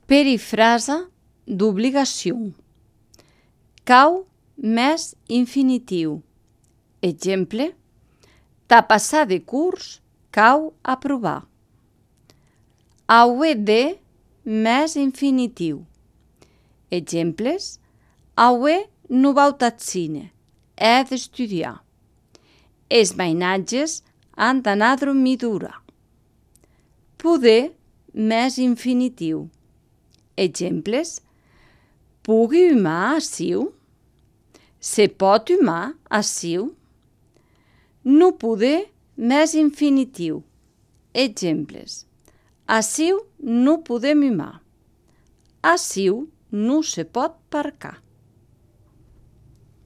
Perifrasa d'obligació. Cau més infinitiu. Exemple: ta passar de curs cau aprovar. Aué de més infinitiu. Exemples: aué non vau tath cine, è d'estudiar. Es mainatges han d'anar a dormir d'ora. Poder més infinitiu. Exemples: pugui umar aciu? Se pot umar aciu? Non poder més infinitiu. Exemples: aciu non podem umar. Aciu non se pot parcar.